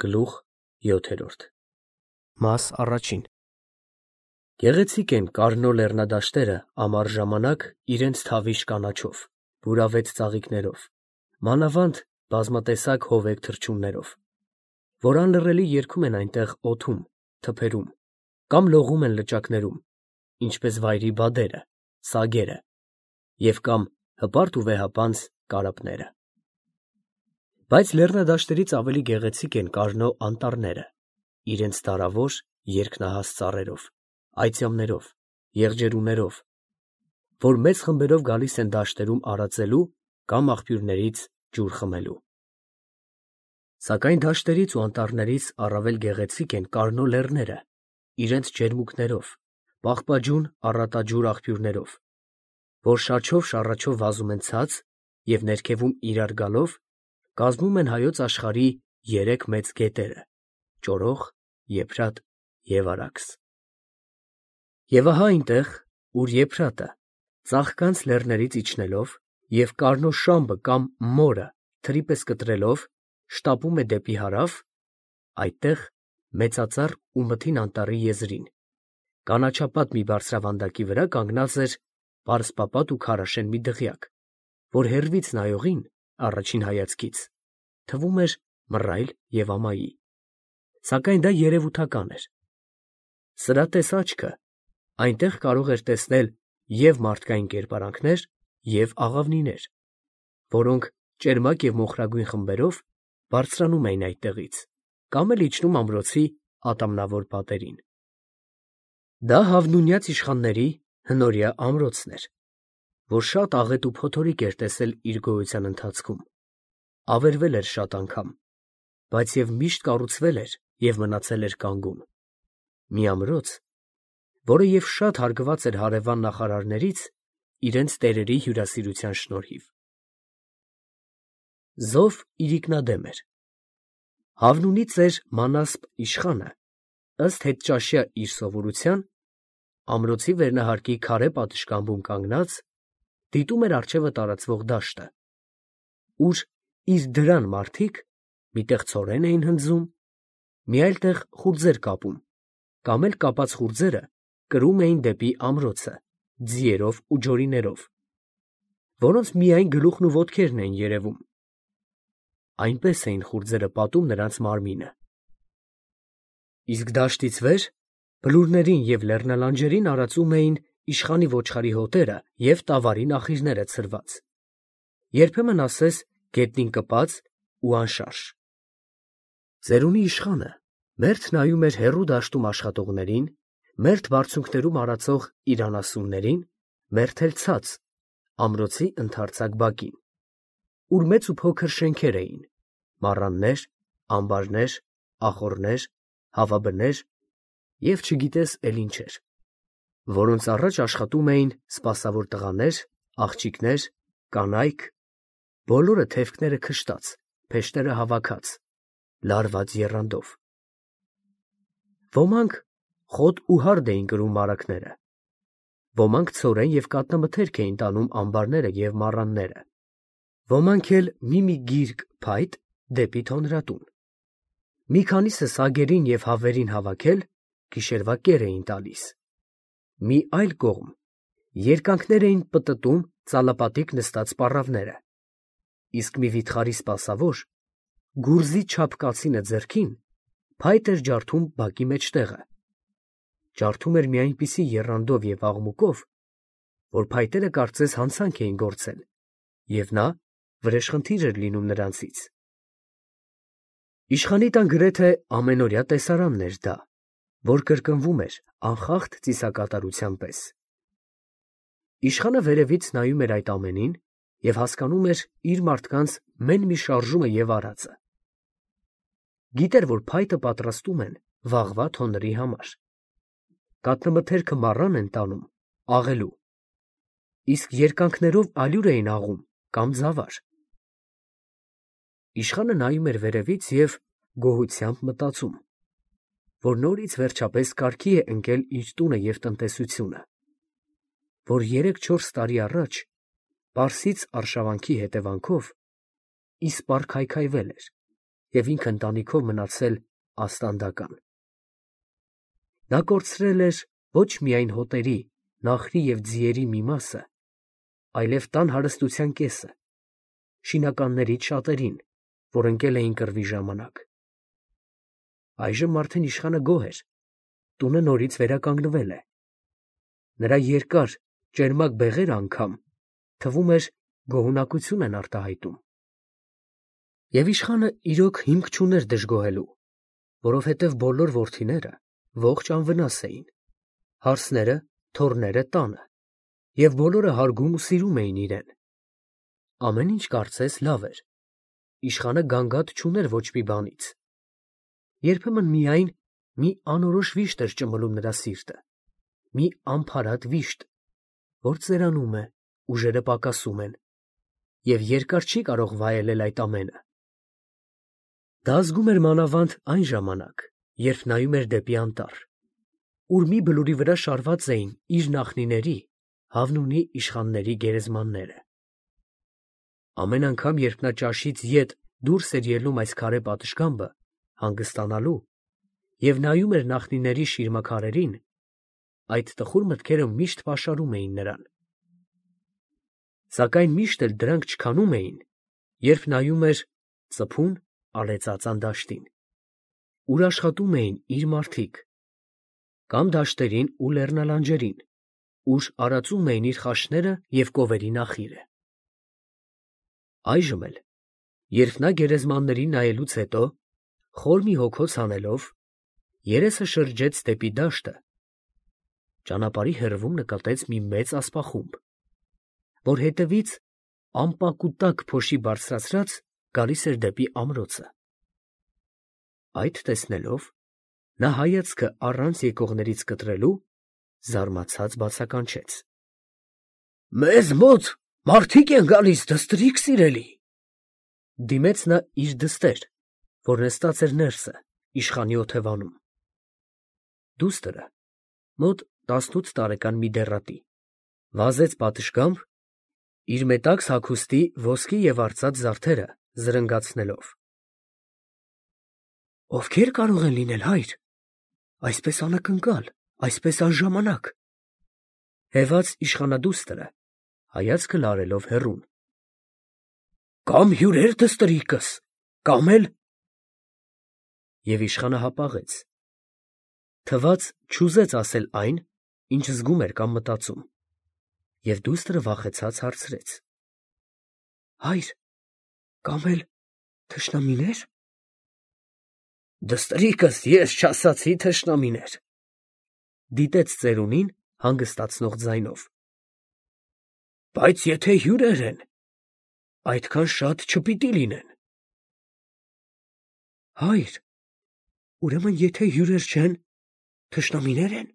Գլուխ 7 Մաս առաջին Գեղեցիկ են Կարնո լեռնադաշտերը ամառ ժամանակ իրենց թավիշ կանաչով, բուրավետ ծաղիկներով, մանավանդ բազմատեսակ հովեկ թռչուններով, որ անլռելի երգում են այնտեղ օդում, թփերում, կամ լողում են լճակներում, ինչպես վայրի բադերը, սագերը, և կամ հպարտ ու վեհապանծ կարապները։ Բայց լեռնադաշտերից ավելի գեղեցիկ են Կարնո անտառները, իրենց դարավոր երկնահաս ծառերով, այծյամներով, եղջերուներով, որ մեծ խմբերով գալիս են դաշտերում արածելու կամ աղբյուրներից ջուր խմելու։ Սակայն դաշտերից ու անտառներից առավել գեղեցիկ են Կարնո լեռները, իրենց ջերմուկներով, պաղպաջուն առատաջուր աղբյուրներով, որ շաչով վազում են ցած և ներքևում իրար գալով կազմում են հայոց աշխարհի երեք մեծ գետերը՝ Ճորող, Եփրատ և Արաքս։ Եվ ահա այնտեղ, ուր Եփրատը, ծաղկանց լեռներից իջնելով և Կարնո շամբը կամ մորը թրի պես կտրելով շտապում է դեպի հարավ, այդտեղ մեծածառ ու մթին անտառի եզրին, կանաչապատ մի բարձրավանդակի վրա կանգնած էր պարսպապատ ու քարաշեն մի դղյակ, որ հեռվից նայողին, առաջին հայացքից, թվում էր մռայլ և ամայի, սակայն դա երևութական էր. սրատես աչքը այնտեղ կարող էր տեսնել և մարդկային կերպարանքներ, և աղավնիներ, որոնք ճերմակ և մոխրագույն խմբերով բարձրանում էին այդտեղից կամ էլ իջնում ամրոցի ատամնավոր պատերին։ Դա Հավնունյաց իշխանների հնորյա ամրոցն էր, որ շատ աղետ ու փոթորիկ էր տեսել իր գոյության ընթացքում, ավերվել էր շատ անգամ, բայց և միշտ կառուցվել էր և մնացել էր կանգուն, մի ամրոց, որը և շատ հարգված էր հարևան նախարարներից իրենց տերերի հյուրասիրության շնորհիվ։ Զով իրիկնադեմ էր։ Հավնունի ծեր Մանասպ իշխանը, ըստ հետճաշյա իր սովորության, ամրոցի վերնահարկի քարե պատշգամբում կանգնած, դիտում էր առջևը տարածվող դաշտը, ուր իր դրան մարդիկ մի տեղ ցորեն էին հնձում, մի այլ տեղ խուրձեր կապում, կամ էլ կապած խուրձերը կրում էին դեպի ամրոցը ձիերով ու ջորիներով, որոնց միայն գլուխն ու ոտքերն էին երևում. այնպես էին խուրձերը պատում նրանց մարմինը։ Իսկ դաշտից վեր բլուրներին և լեռնալանջերին արածում էին իշխանի ոչխարի հոտերը և տավարի նախիրները ցրված, երբեմն ասես գետնին կպած ու անշարժ։ Ծերունի իշխանը մերթ նայում էր հեռու դաշտում աշխատողներին, մերթ բարձունքներում արածող իր անասուններին, մերթ էլ ցած, ամրոցի ընդարձակ բակին, ուր մեծ ու փոքր շենքեր էին, մառաններ, ամբարներ, ախոռներ, հավաբներ և չգիտես էլ ինչեր, որոնց առաջ աշխատում էին սպասավոր տղաներ, աղջիկներ, կանայք, բոլորը թևքները քշտած, փեշտերը հավաքած, լարված եռանդով։ Ոմանք խոտ ու հարդ էին կրում մարագները, ոմանք ցորեն և կատնամթերք էին տանում ամբարները և մառանները, ոմանք էլ մի գիրկ փայտ դեպի թոնրատուն, մի քանիսը սագերին և հավերին հավաքել գիշերվա կեր էին տալիս, մի այլ կողմ երկանքներ էին պտտում ծալապատիկ նստած պառավները, իսկ մի վիթխարի սպասավոր, գուրզի չափ կացինը ձեռքին, փայտ էր ջարդում բակի մեջտեղը, ջարդում էր մի այնպիսի եռանդով և աղմուկով, որ փայտերը կարծես հանցանք էին գործել, և նա վրեժխնդիր էր լինում նրանցից։ Իշխանի տան գրեթե ամենօրյա տեսարանն էր դա, որ կրկնվում էր անխախտ ծիսակատարության պես։ Իշխանը վերևից նայում էր այդ ամենին և հասկանում էր իր մարդկանց մեն մի շարժումը և արածը։ Գիտեր, որ փայտը պատրաստում են վաղվա թոնրի համար, կատնամթերքը մառան են տանում աղելու, իսկ երկանքներով ալյուր էին աղում կամ ձավար։ Իշխանը նայում էր վերևից և գոհությամբ մտածում, որ նորից վերջապես կարգի է ընկել իր տունը և տնտեսությունը, որ 3-4 տարի առաջ Պարսից արշավանքի հետևանքով իսպառ քայքայվել էր և ինքը ընտանիքով մնացել աստանդական։ Նա կորցրել էր ոչ միայն հոտերի, նախրի և ձիերի մի մասը, այլև տան հարստության կեսը, շինականներից շատերին, որ ընկել էին կռվի ժամանակ։ Այժմ արդեն իշխանը գոհ էր, տունը նորից վերականգնվել է։ Նրա երկար, ճերմակ բեղերը անգամ, թվում էր, գոհունակություն են արտահայտում։ Եվ իշխանը իրոք հիմք չուներ դժգոհելու, որովհետև բոլոր որդիները ողջ անվնաս էին, հարսները, թոռները տանը, և բոլորը հարգում ու սիրում էին իրեն։ Ամեն ինչ կարծես լավ էր, իշխանը գանգատ չուներ ոչ մի բանից։ Երբեմն միայն մի անորոշ վիշտ էր ճմլում նրա սիրտը, մի անփարատ վիշտ, որ ծերանում է, ուժերը պակասում են, և երկար չի կարող վայելել այդ ամենը։ Դա զգում էր մանավանդ այն ժամանակ, երբ նայում էր դեպի անտառ, ուր մի բլուրի վրա շարված էին իր նախնիների, Հավնունի իշխանների գերեզմանները։ Ամեն անգամ, երբ նա ճաշից ետ դուրս էր ելնում այս քարե պատշգամբը, հանգստանալու, և նայում էր նախնիների շիրմաքարերին, այդ տխուր մտքերը միշտ պաշարում էին նրան։ Սակայն միշտ էլ դրանք չքանում էին, երբ նայում էր ծփուն, արեցածան դաշտին, ուր աշխատում էին իր մարդիկ, կամ դաշտերին ու լեռնալանջերին, ուր արածում էին իր խաչները և կովերի նախիրը։ Այժմ էլ, երբ նա գերեզմաններին նայելուց հետո, խոր մի հոգոց հանելով, երեսը շրջեց դեպի դաշտը, ճանապարհի հեռվում նկատեց մի մեծ ասպախումբ, որ հետևից ամպակուտակ փոշի բարձրացրած գալիս էր դեպի ամրոցը։ Այդ տեսնելով, նա հայացքը առանց եկողներից կտրելու, զարմացած բացականչեց. «Մեզ մոտ մարդիկ են գալիս, դստրիկ սիրելի»։ Դիմեց նա իր դստեր, որ նստած էր ներսը, իշխանի օթևանում։ Դուստրը, մոտ 18 տարեկան մի դեռատի, վազեց պատշգամբ, իր մետաքս հագուստի ոսկի և արծաթ զարդերը զրնգացնելով։ «Ովքե՞ր կարող են լինել, հայր, այսպես անակնկալ, այսպես անժամանակ», հևաց իշխանադուստրը, հայացքը լարելով հեռուն։ «Կամ հյուրեր, դստրիկս, կամ էլ…» Եվ իշխանը հապաղեց, թվաց չուզեց ասել այն, ինչ զգում էր կամ մտածում, և դուստրը վախեցած հարցրեց. «Հայր, կամ էլ թշնամինե՞ր»։ «Դստրիկս, ես չասացի թշնամիներ», դիտեց ծերունին հանգստացնող ձայնով։ «Բայց եթե հյուրեր են, այդքան շատ չպիտի լինեն»։ «Հայր, ուրեմն եթե հյուրեր չեն, թշնամինե՞ր են»,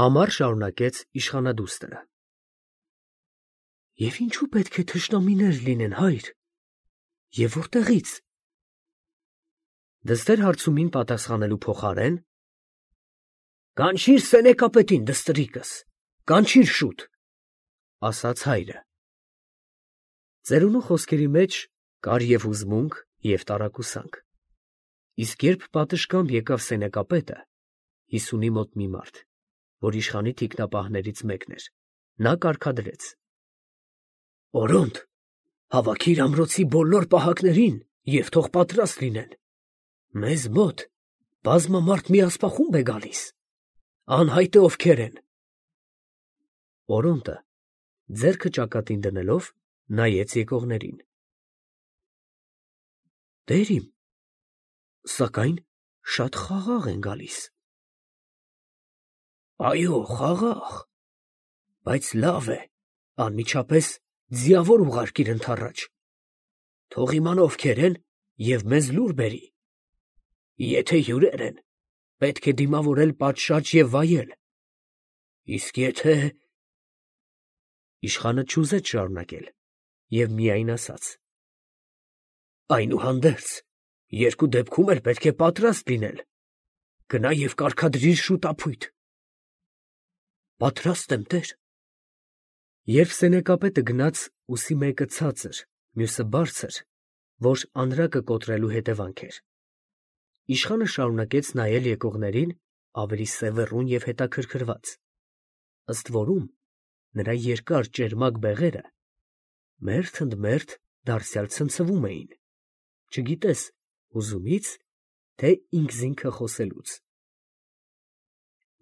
համառ շարունակեց իշխանադուստրը։ «Եվ ինչու պետք է թշնամիներ լինեն, հայր, և որտեղից»։ Դստեր հարցումին պատասխանելու փոխարեն. «Կանչիր սենեկապետին, դստրիկս, կանչիր շուտ», ասաց հայրը։ Ծերունու խոսքերի մեջ կար և հուզմունք, և տարակուսանք, իսկ երբ պատշգամբ եկավ սենեկապետը, 50-ի մոտ մի մարդ, որ իշխանի թիկնապահներից մեկն էր, նա կարգադրեց. «Օրոնտ, հավաքիր ամրոցի բոլոր պահակներին և թող պատրաստ լինեն, մեզ մոտ բազմամարդ մի ասպախումբ է գալիս, անհայտ է ովքեր են»։ Օրոնտը, ձեռքը ճակատին դնելով, նայեց եկողներին։ «Տեր իմ, սակայն շատ խաղաղ են գալիս»։ «Այո, խաղաղ, բայց լավ է, անմիջապես ձիավոր ուղարկիր ընդառաջ, թող իմանա ովքեր են և մեզ լուր բերի։ Եթե հյուրեր են, պետք է դիմավորել պատշաճ և վայել, իսկ եթե…» Իշխանը չուզեց շարունակել և միայն ասաց. «Այնուհանդերձ, երկու դեպքում էլ պետք է պատրաստ լինել, գնա և կարգադրիր շուտ ապույտ»։ «Պատրաստ եմ, տեր»։ Երբ սենեկապետը գնաց, ուսի մեկը ցածր, մյուսը բարձր, որ անրակը կոտրելու հետևանք էր։ Իշխանը շարունակեց նայել եկողներին ավելի սևեռուն և հետաքրքրված, ըստ որում նրա երկար ճերմակ բեղերը մերթ ընդ մերթ դարձյալ ցնցվում էին, չգիտես հուզումից, թե ինքզինքը խոսելուց։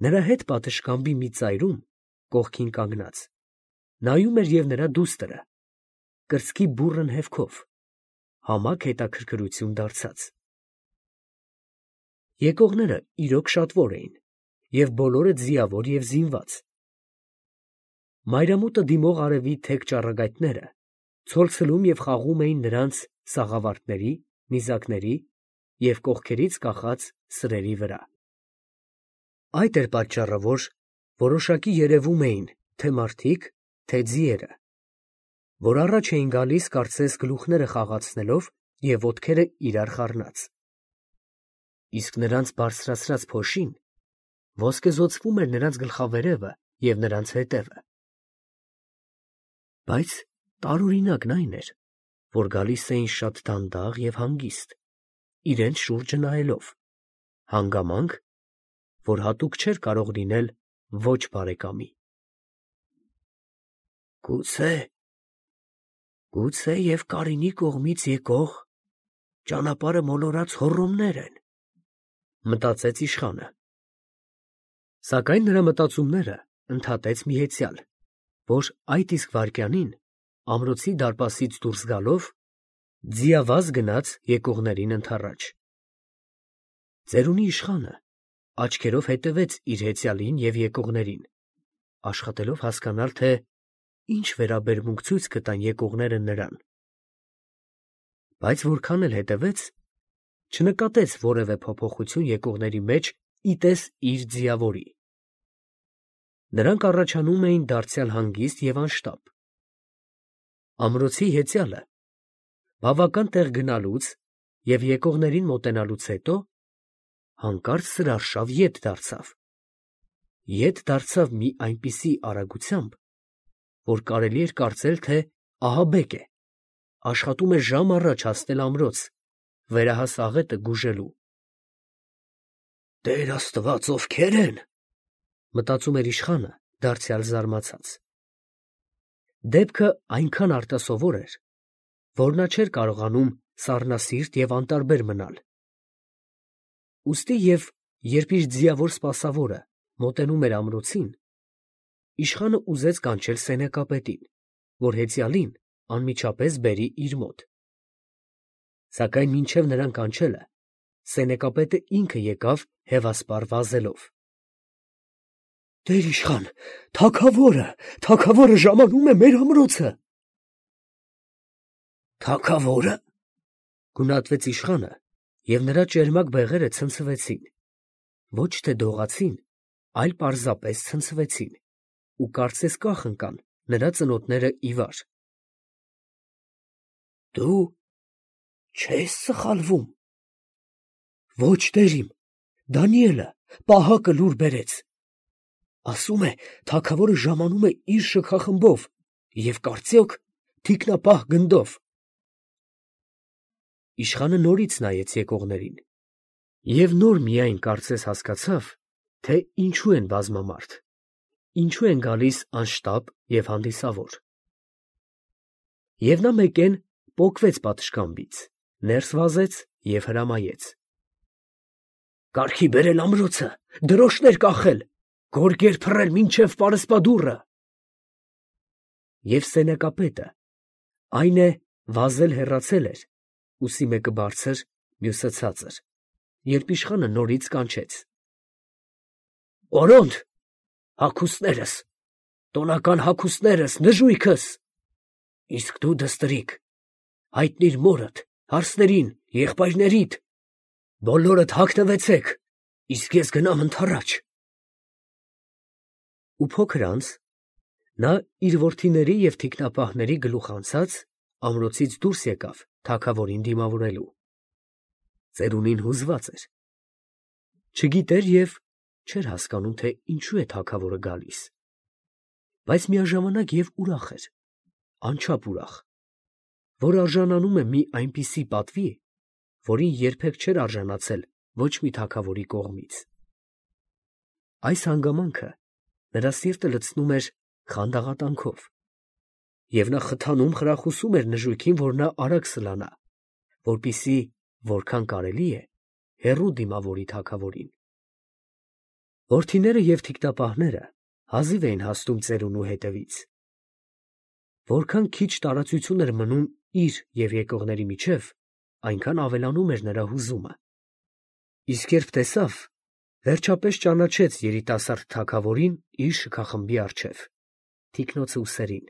Նրա հետ պատշգամբի մի ծայրում, կողքին կանգնած, նայում էր և նրա դուստրը, կրծքի բուռն հևքով, համակ հետաքրքրություն դարձած։ Եկողները իրոք շատվոր էին, և բոլորը ձիավոր և զինված։ Մայրամուտը դիմող արևի թեք ճառագայթները ցոլցլում և խաղում էին նրանց սաղավարտների, նիզակների և կողքերից կախած սրերի վրա։ Այդ էր պատճառը, որ որոշակի երևում էին թե մարդիկ, թե ձիերը, որ առաջ էին գալիս կարծես գլուխները խաղացնելով և ոտքերը իրար խառնած, իսկ նրանց բարձրացրած փոշին ոսկեզօծվում էր նրանց գլխավերևը և նրանց ետևը։ Բայց տարօրինակն այն էր, որ գալիս էին շատ դանդաղ և հանգիստ, իրենց շուրջը նայելով, հանգամանք, որ հատուկ չէր կարող լինել ոչ բարեկամի։ Գուցե և Կարինի կողմից եկող ճանապարհը մոլորած հոռոմներ են, մտածեց իշխանը։ Սակայն նրա մտածումները ընդհատեց մի հեծյալ, որ այդ իսկ վայրկյանին ամրոցի դարպասից դուրս գալով ձիավազ գնաց եկողներին ընդառաջ։ Ծերունի իշխանը աչքերով հետևեց իր հեծյալին և եկողներին, աշխատելով հասկանալ, թե ինչ վերաբերմունք ցույց կտան եկողները նրան։ Բայց որքան էլ հետևեց, չնկատեց որևէ փոփոխություն եկողների մեջ ի տես իր ձիավորի։ Նրանք առաջանում էին դարձյալ հանգիստ և անշտապ։ Ամրոցի հեծյալը բավական տեղ գնալուց և եկողներին մոտենալուց հետո հանկարծ սրարշավ ետ դարձավ մի այնպիսի արագությամբ, որ կարելի էր կարծել, թե ահաբեկ է, աշխատում է ժամ առաջ հասնել ամրոց, վերահաս աղետը գուժելու։ «Տեր Աստված, ովքե՞ր են», մտածում էր իշխանը, դարձյալ զարմացած։ Դեպքը այնքան արտասովոր էր, որ նա չէր կարողանում սառնասիրտ և անտարբեր մնալ։ Ուստի և երբ իր ձիավոր սպասավորը մոտենում էր ամրոցին, իշխանը ուզեց կանչել սենյակապետին, որ հեծյալին անմիջապես բերի իր մոտ։ Սակայն մինչև նրան կանչելը սենյակապետը ինքը եկավ հևասպառ վազելով։ «Տեր իշխան, թագավորը ժամանում է մեր ամրոցը»։ «Թագավո՞րը», գունատվեց իշխանը, և նրա ճերմակ բեղերը ցնցվեցին, ոչ թե դողացին, այլ պարզապես ցնցվեցին ու կարծես կախ ընկան նրա ծնոտները ի վար։ «Դու չե՞ս սխալվում»։ «Ոչ, տեր իմ, Դանիելը պահակը լուր բերեց. ասում է, թագավորը ժամանում է իր շքախմբով և կարծյոք թիկնապահ գնդով»։ Իշխանը նորից նայեց եկողներին և նոր միայն կարծես հասկացավ, թե ինչու են բազմամարդ, ինչու են գալիս անշտապ և հանդիսավոր։ Եվ նա մեկեն պոկվեց պատշգամբից, ներս վազեց և հրամայեց. «Կարգի բերել ամրոցը, դրոշներ կախել, գորգեր փռել մինչև պարսպադուռը»։ Եվ սենյակապետը, այն է, վազել հեռացել էր, ուսի մեկը բարձր, մյուսը ցածր, երբ իշխանը նորից կանչեց. «Օրոն՛դ, հագուստներս, տոնական հագուստներս, նժույգս, իսկ դու դստրիկ, հայտնիր մորդ, հարսներին, եղբայրներիդ, բոլորդ հագնվեցեք, իսկ ես գնամ ընդառաջ»։ Ու փոքր անց նա իր որդիների և թիկնապահների գլուխ անցած ամրոցից դուրս եկավ թագավորին դիմավորելու։ Ծերունին հուզված էր, չգիտեր և չէր հասկանում, թե ինչու է թագավորը գալիս, բայց միաժամանակ և ուրախ էր, անչափ ուրախ, որ արժանանում է մի այնպիսի պատվի, որին երբեք չէր արժանացել ոչ մի թագավորի կողմից։ Այս հանգամանքը նրա սիրտը լցնում էր խանդաղատանքով, և նա խթանում խրախուսում էր նժույգին, որ նա արագ սլանա, որպեսզի որքան կարելի է հեռու դիմավորի թագավորին։ Որդիները և թիկնապահները հազիվ էին հասնում ծերունու հետևից։ Որքան քիչ տարածություն էր մնում իր և եկողների միջև, այնքան ավելանում էր նրա հուզումը։ Իսկ երբ տեսավ, վերջապես ճանաչեց երիտասարդ թագավորին իր շքախմբի առջև, թիկնոցը ուսերին,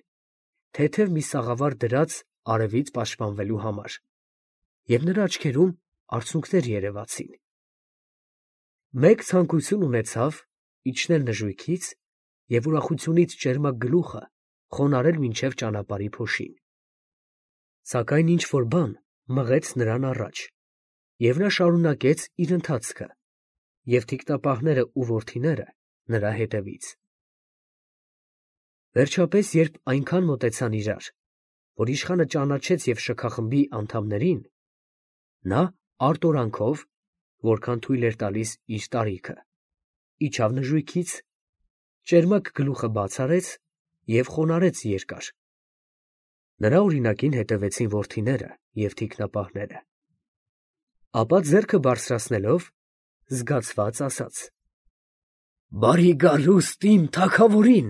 թեթև մի սաղավար դրած արևից պաշտպանվելու համար, և նրա աչքերում արցունքներ երևացին։ Մեկ ցանկություն ունեցավ իջնել նժույգից և ուրախությունից ճերմակ գլուխը խոնարհել մինչև ճանապարհի փոշին։ Սակայն ինչ֊որ բան մղեց նրան առաջ, և նա շարունակեց իր ընթացքը, և թիկնապահները ու որդիները նրա հետևից։ Վերջապես, երբ այնքան մոտեցան իրար, որ իշխանը ճանաչեց և շքախմբի անդամներին, նա արտորանքով, որքան թույլ էր տալիս իր տարիքը, իջավ նժույգից, ճերմակ գլուխը բաց արեց և խոնարհեց երկար։ Նրա օրինակին հետևեցին որդիները և թիկնապահները։ Ապա ձեռքը բարձրացնելով, զգացված ասաց. «Բարի գալուստ իմ թագավորին,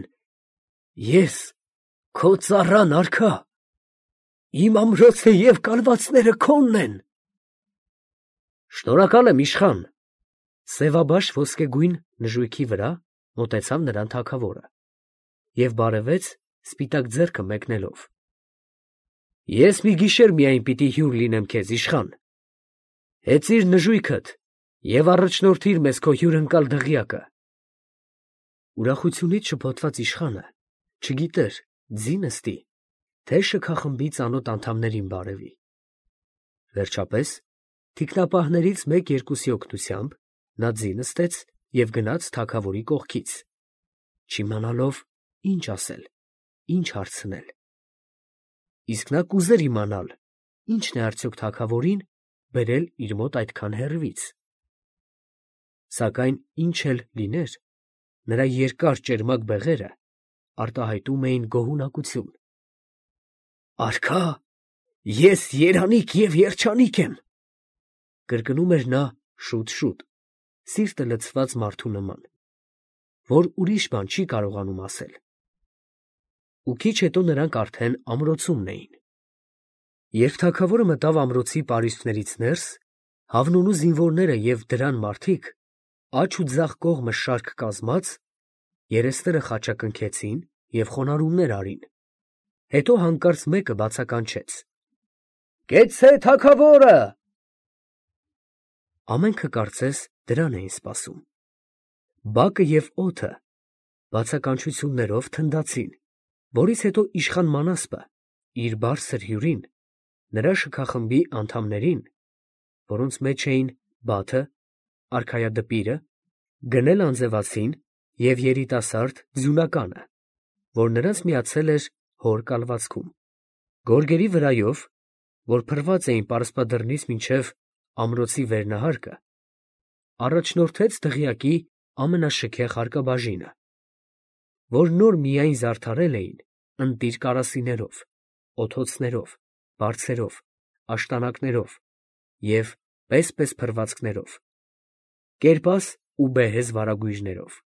ես քո ծառան արքա, իմ ամրոցը և կալվածները քոնն են»։ «Շնորհակալ եմ, իշխան»։ Սևաբաշ ոսկեգույն նժույգի վրա մոտեցավ նրան թագավորը և բարևեց սպիտակ ձեռքը մեկնելով։ «Ես մի գիշեր միայն պիտի հյուր լինեմ քեզ, իշխան. հեծիր նժույգդ և առաջնորդիր մեզ քո հյուրընկալ դղյակը»։ Ուրախությունից շփոթված իշխանը չգիտեր ձի նստի, թե շքախմբի ծանոթ անդամներին բարևի։ Վերջապես, թիկնապահներից մեկ֊երկուսի օգնությամբ նա ձի նստեց և գնաց թագավորի կողքից, չիմանալով ինչ ասել, ինչ հարցնել։ Իսկ նա կուզեր իմանալ, ինչն է արդյոք թագավորին բերել իր մոտ այդքան հեռվից։ Սակայն ինչ էլ լիներ, նրա երկար ճերմակ բեղերը արտահայտում էին գոհունակություն։ «Արքա, ես երանիկ և երջանիկ եմ», կրկնում էր նա շուտ֊շուտ, սիրտը լցված մարդու նման, որ ուրիշ բան չի կարողանում ասել։ Ու քիչ հետո նրանք արդեն ամրոցումն էին։ Երբ թագավորը մտավ ամրոցի պարիսպներից ներս, Հավնունու զինվորները և դրան մարդիկ, աջ ու ձախ կողմը շարք կազմած, երեսները խաչակնքեցին և խոնարհումներ արին։ Հետո հանկարծ մեկը բացականչեց. «Կեցցե թագավորը»։ Ամենքը կարծես դրան էին սպասում։ Բակը և օդը բացականչություններով թնդացին, որից հետո իշխան Մանասպը իր բարձր հյուրին, նրա շքախմբի անդամներին, որոնց մեջ էին Բաթը, արքայադպիրը, գնել անձևացին և երիտասարդ ձյունականը, որ նրանց միացել էր հոր կալվածքում, գորգերի վրայով, որ փռված էին պարսպադռնից մինչև ամրոցի վերնահարկը, առաջնորդեց դղյակի ամենաշքեղ հարկաբաժինը, որ նոր միայն զարդարել էին ընտիր կարասիներով, օթոցներով, բարձերով, աշտանակներով և պես֊պես փռվածքներով, կերպաս ու բեհեզ վարագույրներով։